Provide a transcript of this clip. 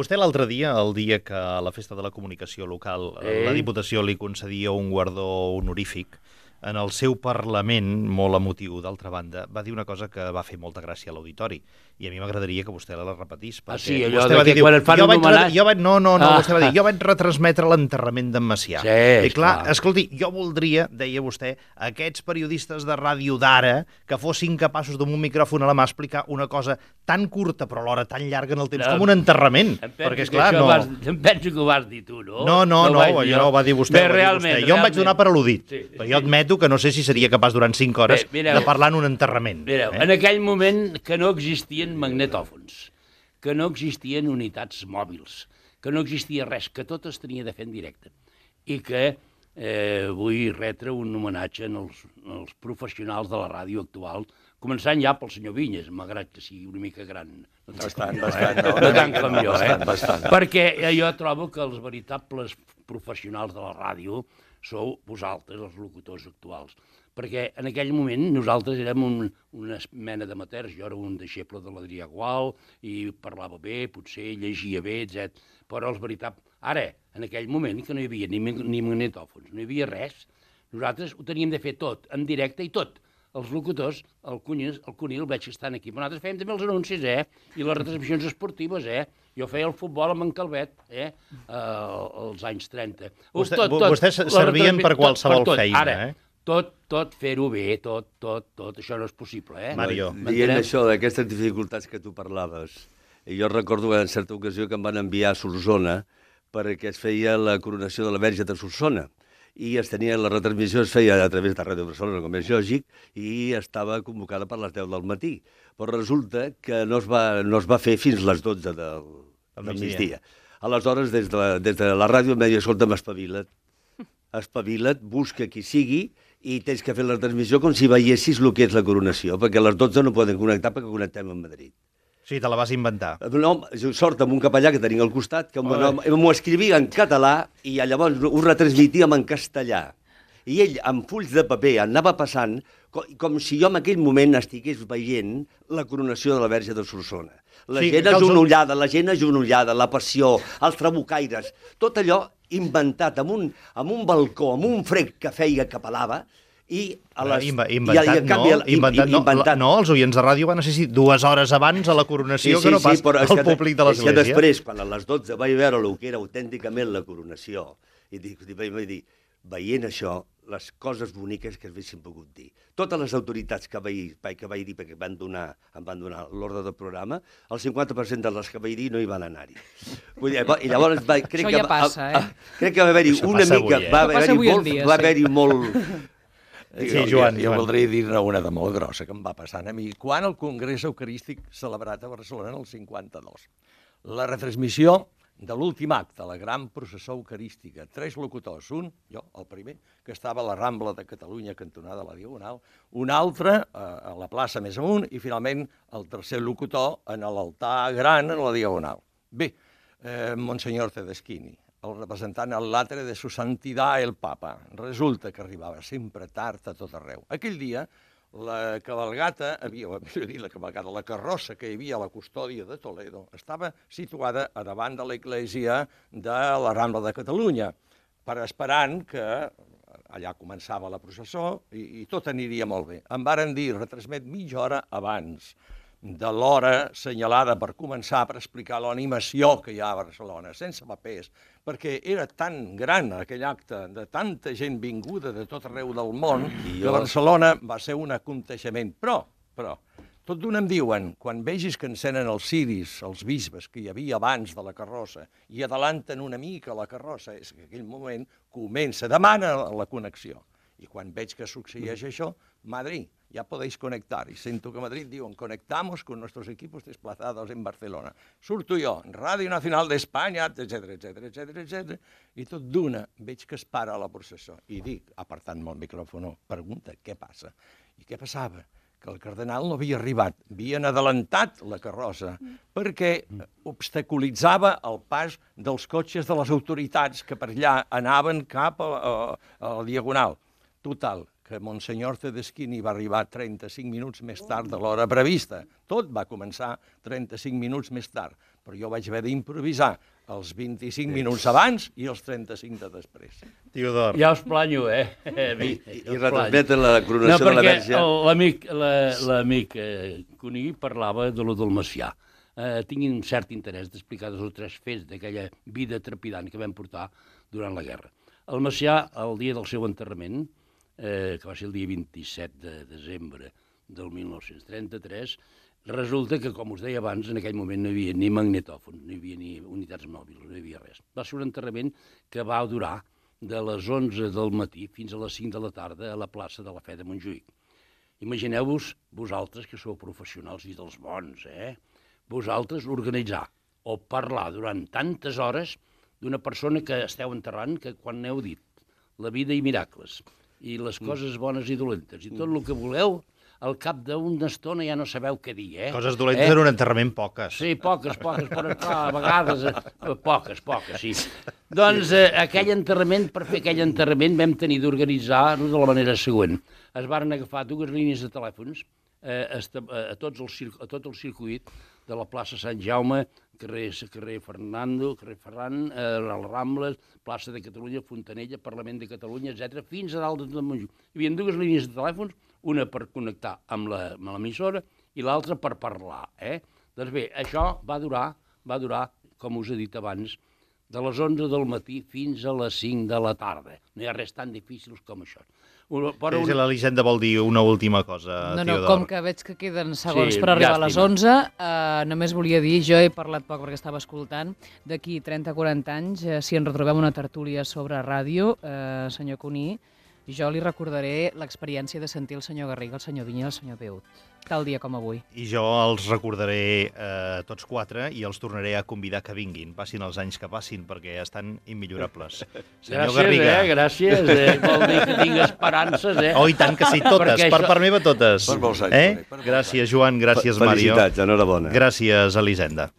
Vostè l'altre dia, el dia que a la Festa de la Comunicació Local la Diputació li concedia un guardó honorífic, en el seu Parlament, molt emotiu, d'altra banda, va dir una cosa que va fer molta gràcia a l'auditori, i a mi m'agradaria que vostè la repetís. Sí, allò que quan et fan un homenatge... Vostè va dir, jo vaig retransmetre l'enterrament d'en Macià. Sí, i clar, escolti, jo voldria, deia vostè, aquests periodistes de ràdio d'ara, que fossin capaços d'un micròfon a la mà explicar una cosa tan curta però alhora tan llarga en el temps com un enterrament. Perquè, esclar, no... Em penso que ho vas dir tu, no? No, allò ho va dir vostè. Jo em vaig donar per al·ludit. Però jo admeto que no sé si seria capaç durant 5 hores de parlar en un enterrament. Mireu, en aquell moment que no existien magnetòfons, que no existien unitats mòbils, que no existia res, que tot es tenia de fer en directe. I que vull retre un homenatge als professionals de la ràdio actual, començant ja pel senyor Vinyes, malgrat que sigui una mica gran. No tant com jo, Perquè jo trobo que els veritables professionals de la ràdio sou vosaltres, els locutors actuals. Perquè en aquell moment nosaltres érem una mena d'amateurs. Jo era un deixeble de l'Adrià Gual i parlava bé, potser llegia bé, etc. Però els veritables... Ara, en aquell moment, que no hi havia ni magnetòfons, no hi havia res, nosaltres ho teníem de fer tot, en directe i tot. Els locutors, el Cunil, veig que estan aquí. Però nosaltres fèiem també els anuncis, i les retransmissions esportives, Jo feia el futbol amb en Calvet, als anys 30. Vostès servien per qualsevol feina, Ara, tot fer-ho bé, tot, això no és possible, Mario. Dient això d'aquestes dificultats que tu parlaves, jo recordo en certa ocasió que em van enviar a Solsona perquè es feia la coronació de la Verge de Solsona. I la retransmissió es feia a través de Ràdio Barcelona, com és lògic, i estava convocada per les 10 del matí. Però resulta que no es va fer fins les 12 del migdia. Aleshores, des de la ràdio em deia, escolta'm, espavila't, busca qui sigui, i tens que fer la transmissió com si veiessis el que és la coronació, perquè a les 12 no poden connectar perquè connectem amb Madrid. Sí, te la vas inventar. No, sort amb un capellà que tenia al costat, que m'ho escrivia en català i llavors ho retransmitíem en castellà. I ell, amb fulls de paper, anava passant com si jo en aquell moment estigués veient la coronació de la Verge de Solsona. La gent agenollada, la passió, els trabucaires, tot allò inventat amb un balcó, amb un frec que feia que pelava. Inventat. No, els oients de ràdio van assistir 2 hores abans a la coronació que no pas al públic de l'església. Després, quan a les 12 vaig veure el que era autènticament la coronació, i vaig dir, veient això, les coses boniques que haguessin pogut dir. Totes les autoritats que vaig dir, perquè em van donar l'ordre del programa, el 50% de les que vaig dir no hi van anar-hi. I llavors Això ja passa, crec que va haver-hi una mica... Va haver-hi molt... Sí, Joan. Jo voldria dir-ne una de molt grossa que em va passant a mi. Quan el Congrés Eucarístic celebrat a Barcelona en el 52, la retransmissió de l'últim acte, la gran processó eucarística, 3 locutors, un, jo, el primer, que estava a la Rambla de Catalunya, cantonada a la Diagonal, un altre a la plaça més amunt i finalment el tercer locutor en l'altar gran a la Diagonal. Bé, Monsenyor Tedeschini, el representant al l'atre de su santidad el Papa. Resulta que arribava sempre tard a tot arreu. Aquell dia, la cabalgata, la carrossa que hi havia a la custòdia de Toledo, estava situada a davant de l'església de la Rambla de Catalunya, esperant que allà començava la processó i tot aniria molt bé. Em varen dir, retransmet mitja hora abans de l'hora senyalada per començar per explicar l'animació que hi ha a Barcelona, sense papers, perquè era tan gran aquell acte de tanta gent vinguda de tot arreu del món que Barcelona va ser un aconteixement. Però, tot d'una em diuen, quan vegis que encenen els ciris, els bisbes que hi havia abans de la carrossa, i adelanten una mica la carrossa, és que en aquell moment demana la connexió. I quan veig que succeeix això, Madrid, ya podéis conectar. Y siento que a Madrid diuen, conectamos con nuestros equipos desplazados en Barcelona. Surto jo, Radio Nacional d'Espanya, etc. I tot d'una veig que es para la processó. I dic, apartant-me el micròfon, pregunta, què passa? I què passava? Que el cardenal no havia arribat, havien adelantat la carrossa perquè obstaculitzava el pas dels cotxes de les autoritats que per allà anaven cap a la Diagonal. Total, que Monsenyor Tedeschini va arribar 35 minuts més tard de l'hora prevista. Tot va començar 35 minuts més tard, però jo vaig haver d'improvisar els 25 minuts abans i els 35 de després. Teodor. Ja us planyo, I retransmeten la coronació de la Verge. No, perquè l'amic Cuní parlava de lo del Macià. Tinc un cert interès d'explicar 2 o 3 fets d'aquella vida trepidant que vam portar durant la guerra. El Macià, el dia del seu enterrament, que va ser el dia 27 de desembre del 1933, resulta que, com us deia abans, en aquell moment no hi havia ni magnetòfons, no hi havia ni unitats mòbils, no hi havia res. Va ser un enterrament que va durar de les 11 del matí fins a les 5 de la tarda a la plaça de la Fe de Montjuïc. Imagineu-vos, vosaltres, que sou professionals i dels bons, vosaltres organitzar o parlar durant tantes hores d'una persona que esteu enterrant, que quan n'heu dit la vida i miracles, i les coses bones i dolentes, i tot el que voleu, al cap d'una estona ja no sabeu què dir, Coses dolentes en un enterrament poques. Sí, poques, però clar, a vegades poques, sí. Doncs aquell enterrament, per fer aquell enterrament, vam tenir d'organitzar-ho de la manera següent. Es varen agafar 2 línies de telèfons a tot el circuit de la plaça Sant Jaume, carrer Ferran, les Rambles, plaça de Catalunya, Fontanella, Parlament de Catalunya, etc., fins a dalt de Montjuïc. Hi havia 2 línies de telèfons, una per connectar amb l'emissora i l'altra per parlar. Doncs bé, això va durar, com us he dit abans, de les 11 del matí fins a les 5 de la tarda. No hi ha res tan difícil com això. Si l'Elisenda vol dir una última cosa, Teodor. Com que veig que queden segons per arribar a les 11, només volia dir, jo he parlat poc perquè estava escoltant, d'aquí 30-40 anys, si ens retrobem una tertúlia sobre ràdio, senyor Cuní, jo li recordaré l'experiència de sentir el senyor Garriga, el senyor Vinyes i el senyor Peut, tal dia com avui. I jo els recordaré tots 4 i els tornaré a convidar que vinguin, passin els anys que passin, perquè estan immillorables. Senyor Garriga. Gràcies, vol dir que tinc esperances, Oh, i tant que sí, totes, per part meva totes. Per molts anys. Gràcies, Joan, gràcies, Mario. Felicitats, enhorabona. Gràcies, Elisenda.